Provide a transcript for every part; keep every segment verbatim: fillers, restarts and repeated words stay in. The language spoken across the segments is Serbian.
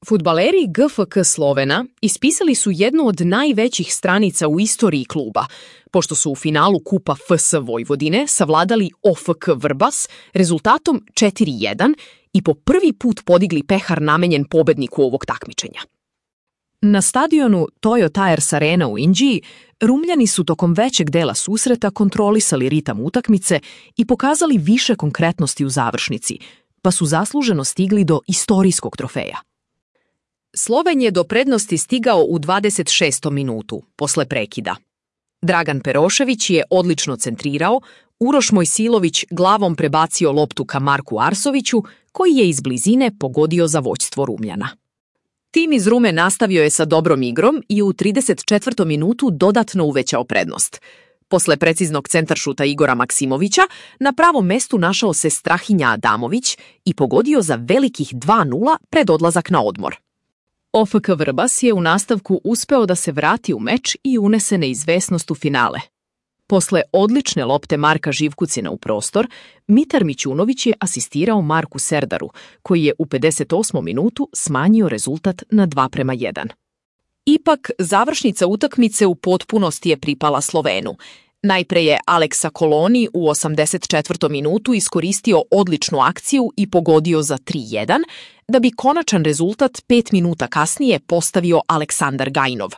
Fudbaleri G F K Slovena ispisali su jednu od najvećih stranica u istoriji kluba, pošto su u finalu Kupa F S Vojvodine savladali O F K Vrbas rezultatom četiri jedan i po prvi put podigli pehar namenjen pobedniku ovog takmičenja. Na stadionu Toyo Tires Arena u Inđiji Rumljani su tokom većeg dela susreta kontrolisali ritam utakmice i pokazali više konkretnosti u završnici, pa su zasluženo stigli do istorijskog trofeja. Sloven je do prednosti stigao u dvadeset šestom minutu, posle prekida. Dragan Perošević je odlično centrirao, Uroš Mojsilović glavom prebacio loptu ka Marku Arsoviću, koji je iz blizine pogodio za vođstvo Rumljana. Tim iz Rume nastavio je sa dobrom igrom i u trideset četvrtom minutu dodatno uvećao prednost. Posle preciznog centaršuta Igora Maksimovića, na pravom mestu našao se Strahinja Adamović i pogodio za velikih dva nula pred odlazak na odmor. O F K Vrbas je u nastavku uspeo da se vrati u meč i unese neizvesnost u finale. Posle odlične lopte Marka Živkucina u prostor, Mitar Mićunović je asistirao Marku Serdaru, koji je u pedeset osmom minutu smanjio rezultat na dva prema jedan. Ipak, završnica utakmice u potpunosti je pripala Slovenu. Najpre je Aleksa Koloni u osamdeset četvrtom minutu iskoristio odličnu akciju i pogodio za tri jedan, da bi konačan rezultat pet minuta kasnije postavio Aleksandar Gajinov.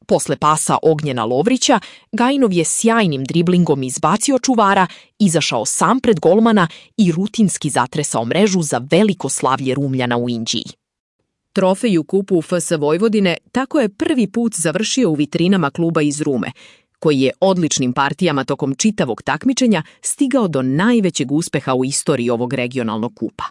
Posle pasa Ognjena Lovrića, Gajinov je sjajnim driblingom izbacio čuvara, izašao sam pred golmana i rutinski zatresao mrežu za veliko slavlje Rumljana u Inđiji. Trofej u kupu F S Vojvodine tako je prvi put završio u vitrinama kluba iz Rume, koji je odličnim partijama tokom čitavog takmičenja stigao do najvećeg uspeha u istoriji ovog regionalnog kupa.